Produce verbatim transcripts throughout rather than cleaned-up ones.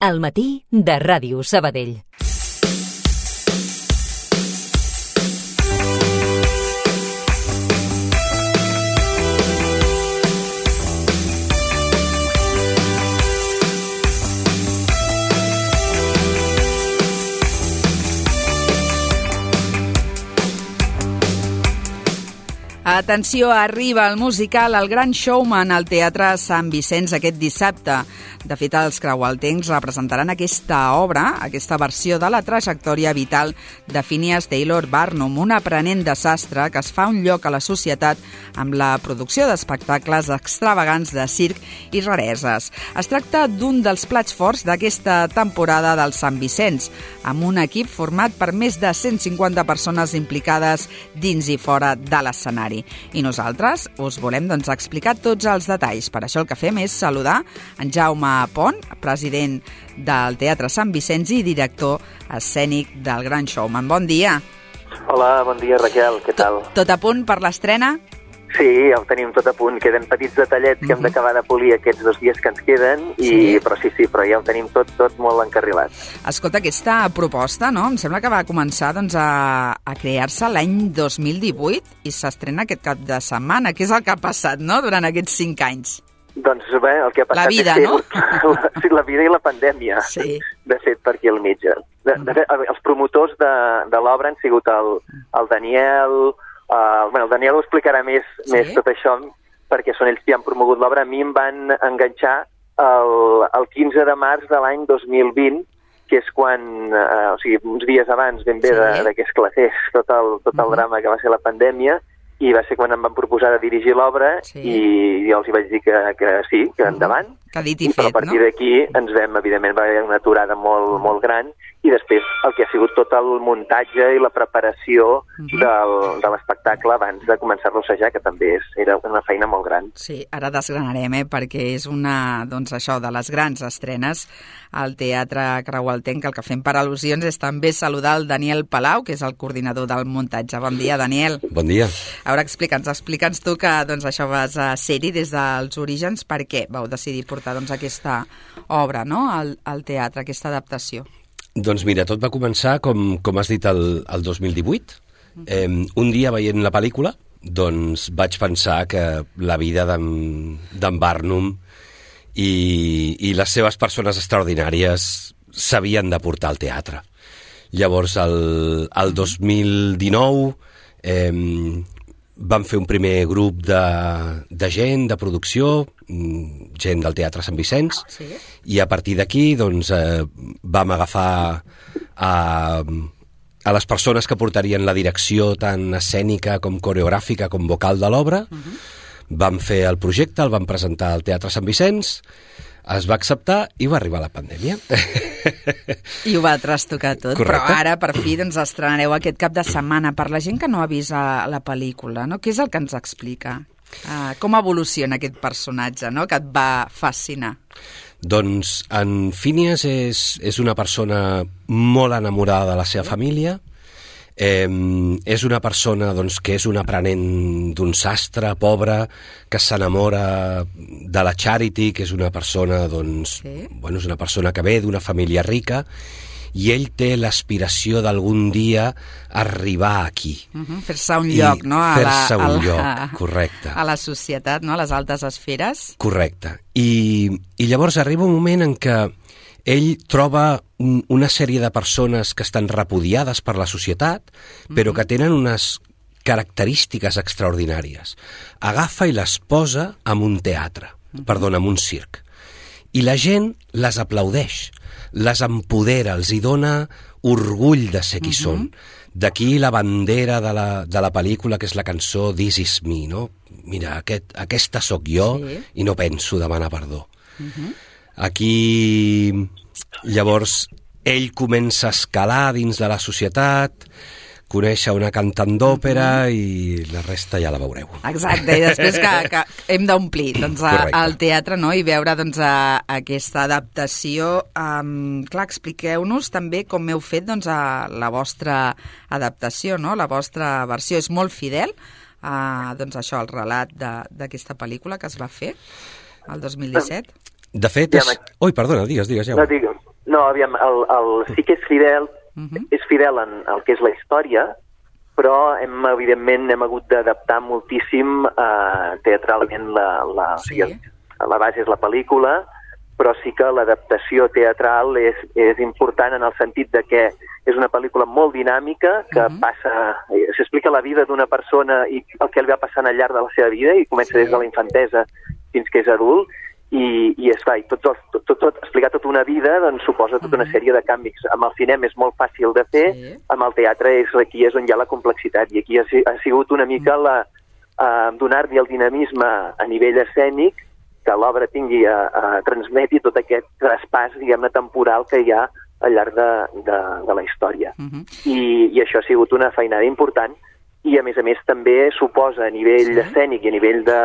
Al matí de Ràdio Sabadell. Atenció, arriba el musical El Gran Showman al Teatre Sant Vicenç aquest dissabte. De fet, els creualtencs representaran aquesta obra, aquesta versió de la trajectòria vital de Phineas Taylor Barnum, un aprenent de sastre que es fa un lloc a la societat amb la producció d'espectacles extravagants de circ i rareses. Es tracta d'un dels plats forts d'aquesta temporada del Sant Vicenç, amb un equip format per més de cent cinquanta persones implicades dins i fora de l'escenari. I nosaltres us volem doncs, explicar tots els detalls. Per això el que fem és saludar en Jaume Pont, president del Teatre Sant Vicenç i director escènic del Gran Showman. Bon dia. Hola, bon dia, Raquel, què tal? Tot, tot a punt per l'estrena? Sí, ja ho tenim tot a punt. Queden petits detallets que hem d'acabar de polir aquests dos dies que ens queden, i, sí. però sí, sí, però ja ho tenim tot, tot molt encarrilat. Escolta, aquesta proposta, no?, em sembla que va començar doncs, a, a crear-se l'any dos mil divuit i s'estrena aquest cap de setmana. Què és el que ha passat, no?, durant aquests cinc anys? Doncs bé, el que ha passat la vida, és no? la, sí, la vida i la pandèmia, sí. de fet, per aquí al mig. De, de fet, els promotors de, de l'obra han sigut el, el Daniel... Uh, bueno, el Daniel ho explicarà més, sí? més tot això, perquè són ells que han promogut l'obra. A mi em van enganxar el, el quinze de març de l'any dos mil vint, que és quan, uh, o sigui, uns dies abans ben bé sí. de, de que esclatés tot el, tot el uh-huh. drama que va ser la pandèmia, i va ser quan em van proposar de dirigir l'obra, sí. i jo els hi vaig dir que, que sí, que endavant. Que dit i fet, però a partir no? d'aquí ens vam, evidentment, va haver una aturada molt, molt gran, i després el que ha sigut tot el muntatge i la preparació uh-huh. del, de l'espectacle abans de començar-lo a assajar, que també és, era una feina molt gran. Sí, ara desgranarem, eh, perquè és una, doncs això, de les grans estrenes al Teatre Creualtenc. El que fem per al·lusions és també saludar el Daniel Palau, que és el coordinador del muntatge. Bon dia, Daniel. Bon dia. A veure, explica'ns, explica'ns tu que doncs, això vas a ser-hi des dels orígens. Per què vau decidir portar doncs, aquesta obra, no?, al, al teatre, aquesta adaptació? Doncs mira, tot va començar, com, com has dit, el, el dos mil divuit. Uh-huh. Eh, un dia, veient la pel·lícula, doncs vaig pensar que la vida d'en Barnum i, i les seves persones extraordinàries s'havien de portar al teatre. Llavors, el, el dos mil dinou eh, vam fer un primer grup de, de gent, de producció, gent del Teatre Sant Vicenç, sí. i a partir d'aquí doncs, eh, vam agafar a, a les persones que portarien la direcció tant escènica com coreogràfica com vocal de l'obra. Uh-huh. Vam fer el projecte, el vam presentar al Teatre Sant Vicenç, es va acceptar i va arribar la pandèmia. I ho va trastocar tot. Correcte. Però ara, per fi, doncs, estrenareu aquest cap de setmana. Per la gent que no ha vist la, la pel·lícula, no? Què és el que ens explica? Uh, com evoluciona aquest personatge, no?, que et va fascinar? Doncs en Phineas és, és una persona molt enamorada de la seva família. Eh, és una persona doncs, que és un aprenent d'un sastre pobre, que s'enamora de la Charity, que és una persona doncs, sí. bueno, és una persona que ve d'una família rica, i ell té l'aspiració d'algun dia arribar aquí. Uh-huh. Fer-se un lloc, no? A fer-se la, un a la, lloc, correcte. A la societat, no? A les altes esferes. Correcte. I, i llavors arriba un moment en què ell troba un, una sèrie de persones que estan repudiades per la societat, però uh-huh. que tenen unes característiques extraordinàries. Agafa i les posa en un teatre, uh-huh. perdona, en un circ. I la gent les aplaudeix, les empodera, els hi dona orgull de ser qui uh-huh. són. D'aquí la bandera de la, de la pel·lícula, que és la cançó This is me, no? Mira, aquest, aquesta sóc jo sí. i no penso demanar perdó. Uh-huh. Aquí, llavors, ell comença a escalar dins de la societat, conèixer una cantant d'òpera mm-hmm. i la resta ja la veureu. Exacte, i després que, que hem d'omplir doncs, al teatre, no?, i veure doncs, a, a aquesta adaptació. Um, clar, expliqueu-nos també com heu fet doncs, a la vostra adaptació, no?, la vostra versió. És molt fidel a doncs, això, el relat d'aquesta pel·lícula que es va fer el dos mil disset? De fet, és... Ui, perdona, digues, digues, ja. No, digues. No, aviam, el, el, sí que és fidel, uh-huh. és fidel en el que és la història, però hem, evidentment hem hagut d'adaptar moltíssim eh, teatralment la, la, sí. la base és la pel·lícula, però sí que l'adaptació teatral és, és important en el sentit de que és una pel·lícula molt dinàmica que uh-huh. passa, s'explica la vida d'una persona i el que li va passant al llarg de la seva vida i comença sí. des de la infantesa fins que és adult i, i es fa, i tot, tot, tot, tot, explicar tota una vida doncs, suposa tota una sèrie de canvis. Amb el cinema és molt fàcil de fer, sí. amb el teatre és aquí és on hi ha la complexitat i aquí ha, ha sigut una mica la, uh, donar-li el dinamisme a nivell escènic que l'obra tingui a, a transmeti tot aquest traspàs, diguem-ne, temporal que hi ha al llarg de, de, de la història. Uh-huh. I, I això ha sigut una feinada important i, a més a més, també suposa a nivell sí. escènic i a nivell de,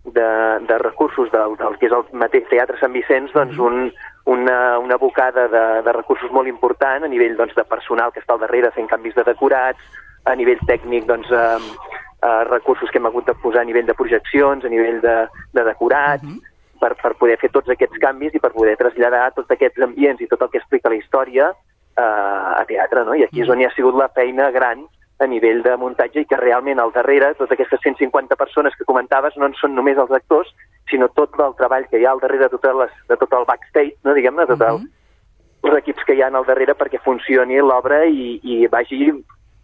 de, de recursos del, del que és el mateix Teatre Sant Vicenç, doncs un, una, una bocada de, de recursos molt important a nivell doncs, de personal que està al darrere fent canvis de decorats, a nivell tècnic, doncs, eh, eh, recursos que hem hagut de posar a nivell de projeccions, a nivell de, de decorats, uh-huh. per, per poder fer tots aquests canvis i per poder traslladar tots aquests ambients i tot el que explica la història eh, a teatre, no? I aquí és on hi ha sigut la feina gran a nivell de muntatge i que realment al darrere, totes aquestes cent cinquanta persones que comentaves no en són només els actors, sinó tot el treball que hi ha al darrere de, totes les, de tot el backstage, no? Diguem-ne, de tot el, uh-huh. els equips que hi ha al darrere perquè funcioni l'obra i, i vagi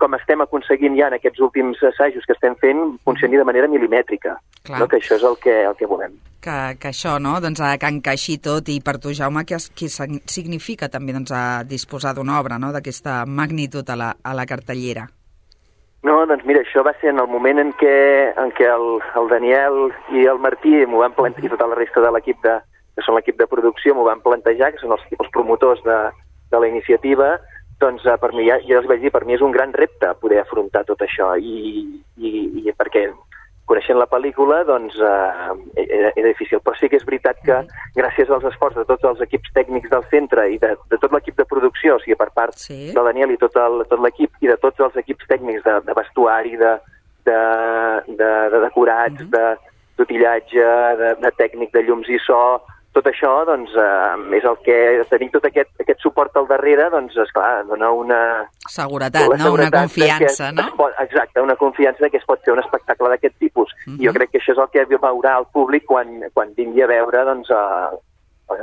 com estem aconseguint ja en aquests últims assajos que estem fent, funcioni de manera milimètrica. No? Que això és el que, el que volem. Que, que això, no?, doncs, que encaixi tot, i per tu, Jaume, què, què significa també doncs, a disposar d'una obra, no?, d'aquesta magnitud a la, a la cartellera? No, doncs mira, això va ser en el moment en què, en què el, el Daniel i el Martí m'ho van plantejar, i tota la resta de l'equip de, que són l'equip de producció, m'ho van plantejar, que són els, els promotors de, de la iniciativa. Doncs per mi, ja, ja els vaig dir, per mi és un gran repte poder afrontar tot això i, i, i perquè coneixent la pel·lícula doncs eh, era, era difícil, però sí que és veritat que gràcies als esforços de tots els equips tècnics del centre i de, de tot l'equip de producció, o sigui, per part sí. del Daniel i tot el, tot l'equip i de tots els equips tècnics de, de vestuari, de, de, de, de decorats, uh-huh. de d'utillatge, de, de tècnic de llums i so, tot això, doncs, eh, és el que... Tenir tot aquest, aquest suport al darrere, doncs, esclar, dona una... Seguretat, no? Una confiança, no? Pot, exacte, una confiança que es pot fer un espectacle d'aquest tipus. Uh-huh. I jo crec que això és el que veurà el públic quan, quan vingui a veure, doncs, a, a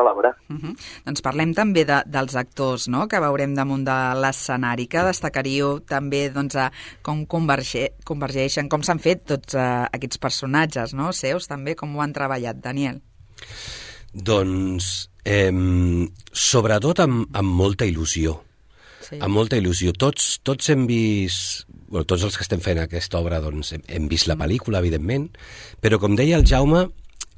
l'obra. Uh-huh. Doncs parlem també de, dels actors, no?, que veurem damunt de l'escenari. Que destacaríeu també, doncs, a com converge, convergeixen, com s'han fet tots uh, aquests personatges, no?, seus, també, com ho han treballat, Daniel? Doncs, eh, sobretot amb, amb molta il·lusió. Sí. Amb molta il·lusió. Tots, tots hem vist, bueno, tots els que estem fent aquesta obra, doncs, hem, hem vist la pel·lícula, evidentment, però, com deia el Jaume,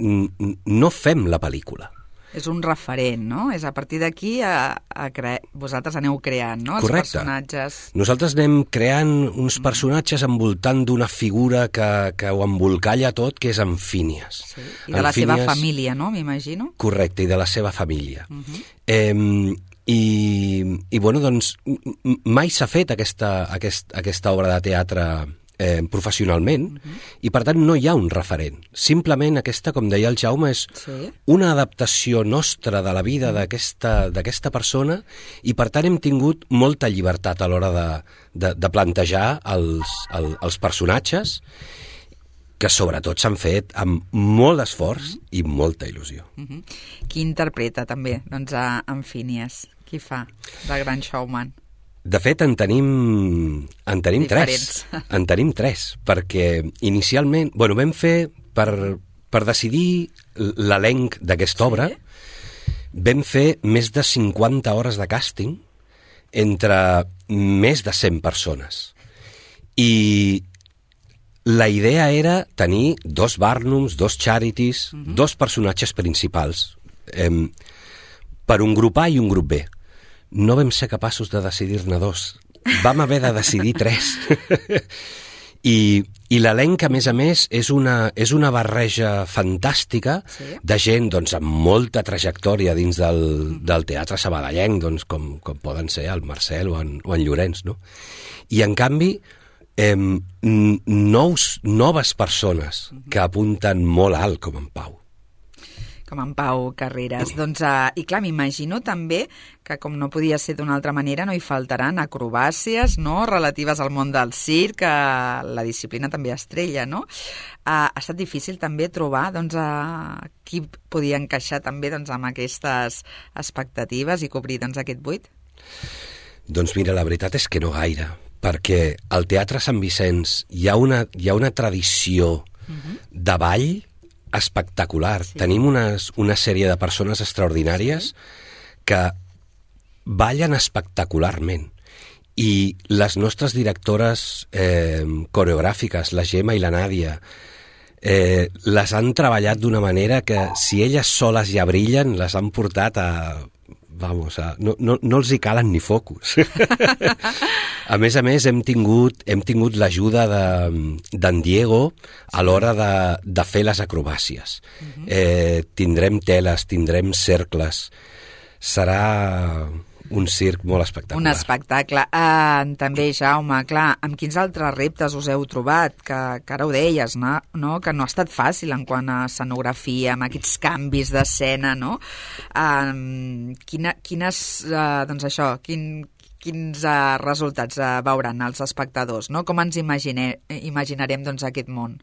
no fem la pel·lícula. És un referent, no? És a partir d'aquí a, a cre... vosaltres aneu creant, no?, els Correcte. personatges. Nosaltres anem creant uns personatges envoltant d'una figura que, que ho embolcalla tot, que és en Phineas. Sí. I de la Phineas... seva família, no?, m'imagino. Correcte, i de la seva família. Uh-huh. eh, i, I, bueno, doncs, mai s'ha fet aquesta, aquest, aquesta obra de teatre Eh, professionalment, uh-huh. i per tant no hi ha un referent. Simplement aquesta, com deia el Jaume, és sí. una adaptació nostra de la vida d'aquesta d'aquesta persona i per tant hem tingut molta llibertat a l'hora de, de, de plantejar els, el, els personatges que sobretot s'han fet amb molt d'esforç uh-huh. i molta il·lusió. Uh-huh. Qui interpreta també doncs, a, en Phineas? Qui fa de Gran Showman? De fet, en tenim, en tenim tres. En tenim tres, perquè inicialment... Bueno, vam fer, per, per decidir l'elenc d'aquesta sí. obra, vam fer més de cinquanta hores de càsting entre més de cent persones. I la idea era tenir dos Barnums, dos Charities, uh-huh. dos personatges principals, eh, per un grup A i un grup B. No vam ser capaços de decidir-ne dos. Vam haver de decidir tres. I, i l'elenc, a més a més, és una, és una barreja fantàstica sí. de gent doncs, amb molta trajectòria dins del, del teatre sabadellenc, doncs, com, com poden ser el Marcel o en, o en Llorenç. No? I, en canvi, eh, nous, noves persones que apunten molt alt, com en Pau. com en Pau Carreras. Doncs, uh, i clar, m'imagino també que, com no podia ser d'una altra manera, no hi faltaran acrobàcies, no?, relatives al món del circ, que la disciplina també estrella, no? Uh, ha estat difícil també trobar, doncs, uh, qui podia encaixar també, doncs, amb aquestes expectatives i cobrir, doncs, aquest buit? Doncs mira, la veritat és que no gaire, perquè al Teatre Sant Vicenç hi ha una, hi ha una tradició uh-huh. de ball espectacular. Sí. Tenim unes, una sèrie de persones extraordinàries sí. que ballen espectacularment. I les nostres directores eh, coreogràfiques, la Gemma i la Nàdia, eh, les han treballat d'una manera que, si elles soles ja brillen, les han portat a... Vamos, a, no, no, no els hi calen ni focus. A més a més, hem tingut, hem tingut l'ajuda d'en Diego a l'hora de, de fer les acrobàcies. Uh-huh. eh, tindrem teles, tindrem cercles. Serà un circ molt espectacular. Un espectacle. Uh, també, Jaume, clar, amb quins altres reptes us heu trobat? Que, que ara ho deies, no? no? Que no ha estat fàcil en quant a escenografia, amb aquests canvis d'escena, no? Uh, quina, quines, uh, doncs això, quin, quins uh, resultats uh, veuran els espectadors, no? Com ens imagine, imaginarem, doncs, aquest món?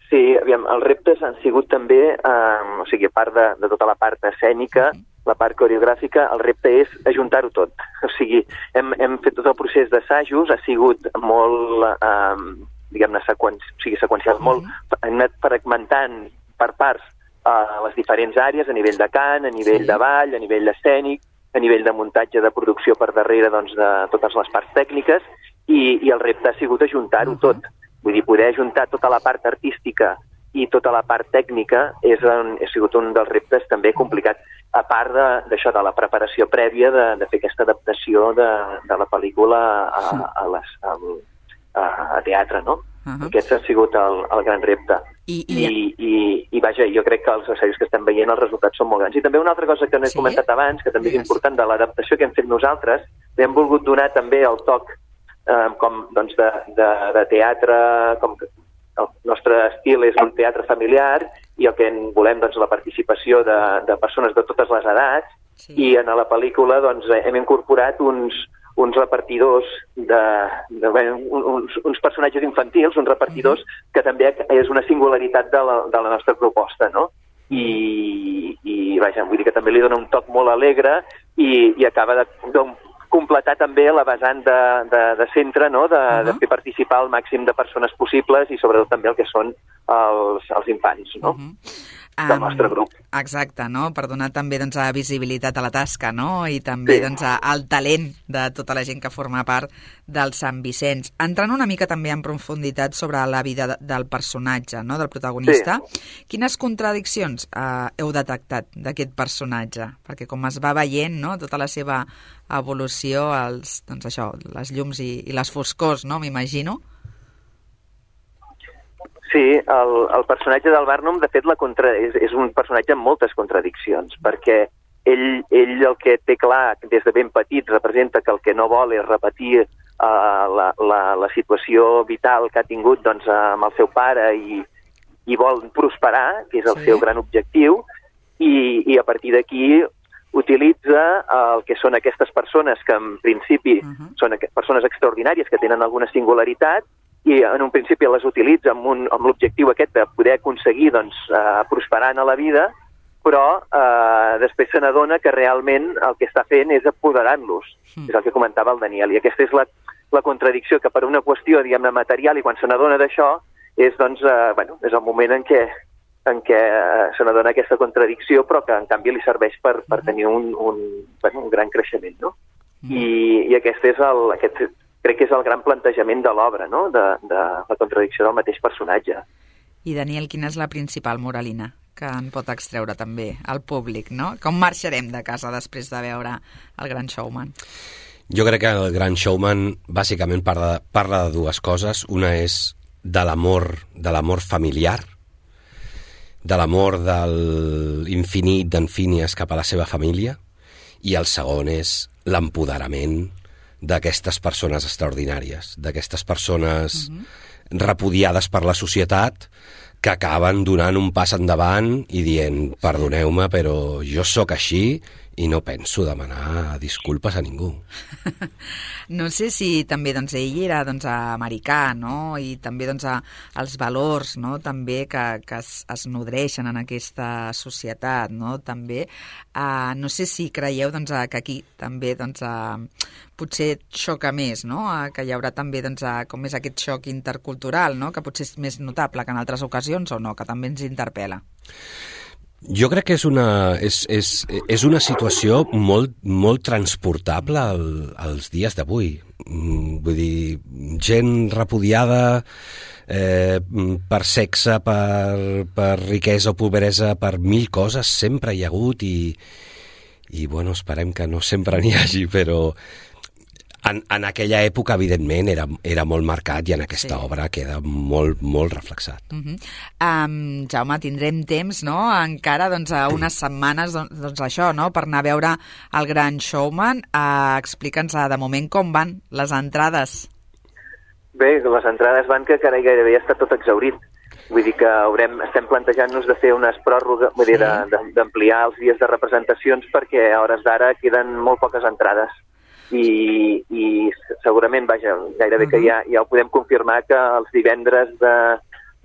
Sí, aviam, els reptes han sigut també, uh, o sigui, a part de, de tota la part escènica, mm. la part coreogràfica, el repte és ajuntar-ho tot. O sigui, hem, hem fet tot el procés d'assajos, ha sigut molt, eh, diguem-ne, sequen, o sigui, seqüencial, mm-hmm. molt, hem anat fragmentant per parts eh, les diferents àrees, a nivell de cant, a nivell sí. de ball, a nivell escènic, a nivell de muntatge, de producció per darrere, doncs, de totes les parts tècniques, i, i el repte ha sigut ajuntar-ho mm-hmm. tot. Vull dir, poder ajuntar tota la part artística i tota la part tècnica és un, ha sigut un dels reptes també complicat, a part d'això, de, de la preparació prèvia de, de fer aquesta adaptació de, de la pel·lícula a, a, les, a, a, a teatre, no? Uh-huh. Aquest ha sigut el, el gran repte. I, i... I, i, I vaja, jo crec que els assajos que estem veient, els resultats són molt grans. I també una altra cosa que no he sí? comentat abans, que també és important, de l'adaptació que hem fet nosaltres, hem volgut donar també el toc eh, com, doncs, de, de, de teatre, com que el nostre estil és un teatre familiar i el que en volem, doncs, la participació de, de persones de totes les edats sí. i en la pel·lícula doncs, hem incorporat uns, uns repartidors, de, de, bé, uns, uns personatges infantils, uns repartidors mm-hmm. que també és una singularitat de la, de la nostra proposta, no? I, i vaja, vull dir que també li dona un toc molt alegre i, i acaba de, de completar també la vessant de, de, de centre, no? de, uh-huh. de fer participar el màxim de persones possibles i sobretot també el que són els, els infants, no? Uh-huh. del nostre grup. Um, exacte, no? Per donar també, doncs, visibilitat a la tasca, no? I també, sí. doncs, al talent de tota la gent que forma part del Sant Vicenç. Entrant una mica també en profunditat sobre la vida de, del personatge, no? Del protagonista, sí. Quines contradiccions eh, heu detectat d'aquest personatge? Perquè com es va veient, no? Tota la seva evolució, els, doncs això, les llums i, i les foscors, no? M'imagino. Sí, el, el personatge del Barnum, de fet, la contra... és, és un personatge amb moltes contradiccions, perquè ell, ell el que té clar des de ben petit representa que el que no vol és repetir uh, la, la, la situació vital que ha tingut, doncs, amb el seu pare i, i vol prosperar, que és el sí. seu gran objectiu, i, i a partir d'aquí utilitza el que són aquestes persones que en principi uh-huh. són persones extraordinàries que tenen alguna singularitat, i en un principi les utilitza amb, un, amb l'objectiu aquest de poder aconseguir doncs, eh, prosperar a la vida, però eh, després se n'adona que realment el que està fent és apoderant-los, mm. és el que comentava el Daniel, i aquesta és la, la contradicció, que per una qüestió, diguem-ne, material, i quan se n'adona d'això, és, doncs, eh, bueno, és el moment en què, en què eh, se n'adona aquesta contradicció, però que en canvi li serveix per, per tenir un, un, bueno, un gran creixement, no? Mm. I, i aquest és el... Aquest, crec que és el gran plantejament de l'obra, no? de, de la contradicció del mateix personatge. I, Daniel, quina és la principal moralina que en pot extreure també el públic, no? Com marxarem de casa després de veure El Gran Showman? Jo crec que El Gran Showman bàsicament parla, parla de dues coses. Una és de l'amor, de l'amor familiar, de l'amor de l'infinit d'en Phineas cap a la seva família, i el segon és l'empoderament d'aquestes persones extraordinàries, d'aquestes persones uh-huh. repudiades per la societat, que acaben donant un pas endavant i dient, perdoneu-me, però jo sóc així i no penso demanar disculpes a ningú. No sé si també doncs, ell era doncs, americà, no? I també doncs, els valors, no? També que, que es, es nodreixen en aquesta societat, no? També, uh, no sé si creieu doncs, que aquí també doncs, uh, potser xoca més, no? Uh, que hi haurà també doncs, uh, com és aquest xoc intercultural, no? Que potser és més notable que en altres ocasions o no, que també ens interpel·la. Jo crec que és una, és, és, és una situació molt, molt transportable al, als dies d'avui. Vull dir, gent repudiada eh, per sexe, per, per riquesa o pobresa, per mil coses, sempre hi ha hagut i, i bueno, esperem que no sempre n'hi hagi, però en, en aquella època, evidentment, era, era molt marcat i en aquesta sí. obra queda molt, molt reflexat. Uh-huh. um, Jaume, tindrem temps, no?, encara doncs, a unes setmanes doncs, doncs això, no?, per anar a veure El Gran Showman. Uh, Explica'ns uh, de moment com van les entrades. Bé, les entrades van que carai, gairebé ja està tot exhaurit. Vull dir que haurem, estem plantejant-nos de fer unes pròrrogues, vull dir, d'ampliar els dies de representacions perquè a hores d'ara queden molt poques entrades. I, i segurament, vaja, gairebé uh-huh. que ja, ja ho podem confirmar que els divendres de,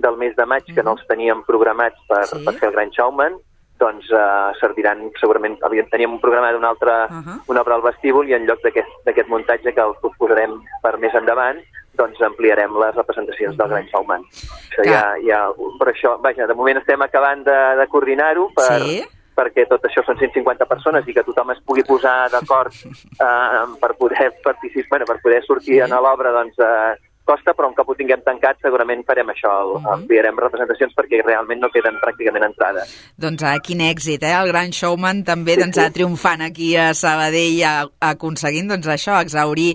del mes de maig, uh-huh. que no els teníem programats per, sí. per fer el Gran Showman, doncs uh, serviran segurament, teníem un programa d'un altre, uh-huh. una obra al vestíbul i en lloc d'aquest muntatge que el posarem per més endavant, doncs ampliarem les representacions uh-huh. del Gran Showman. Això ja, ja, per això, vaja, de moment estem acabant de, de coordinar-ho per... Sí? perquè tot això són cent cinquanta persones i que tothom es pugui posar d'acord eh, per poder participar, bueno, per poder sortir sí. a l'obra, doncs eh, costa, però un cop ho tinguem tancat segurament farem això, uh-huh. ampliarem representacions perquè realment no queden pràcticament entrades. Doncs uh, quin èxit, eh? El Gran Showman també doncs, sí, sí. triomfant aquí a Sabadell, a, aconseguint doncs, això, exhaurir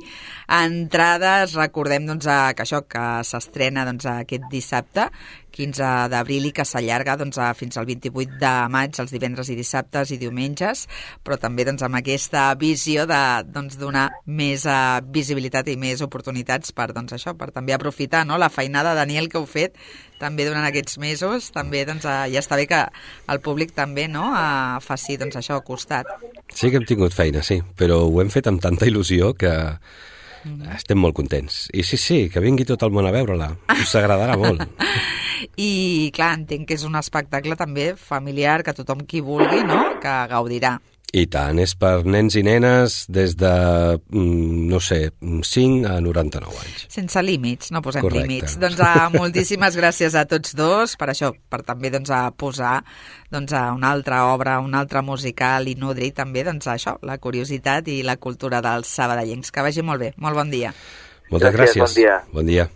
entrades. Recordem doncs, que això que s'estrena doncs, aquest dissabte, quinze d'abril, i que s'allarga doncs, fins al vint-i-vuit de maig, els divendres i dissabtes i diumenges, però també doncs, amb aquesta visió de doncs, donar més uh, visibilitat i més oportunitats per, doncs, això, per també aprofitar, no?, la feinada, Daniel, que heu fet també durant aquests mesos. També doncs, uh, ja està bé que el públic també no, uh, faci doncs, això al costat. Sí que hem tingut feina, sí, però ho hem fet amb tanta il·lusió que estem molt contents. I sí, sí, que vingui tot el món a veure-la. Us agradarà molt. I, clar, entenc que és un espectacle també familiar, que tothom qui vulgui, no?, que gaudirà. I tant, és per nens i nenes des de, no sé, cinc a noranta-nou anys. Sense límits, no posem Correcte. límits. Doncs uh, moltíssimes gràcies a tots dos per això, per també doncs, a posar doncs, a una altra obra, un altre musical i nodrir també doncs, això, la curiositat i la cultura dels sabadellencs. Que vagi molt bé. Molt bon dia. Moltes gràcies. gràcies. Bon dia. Bon dia.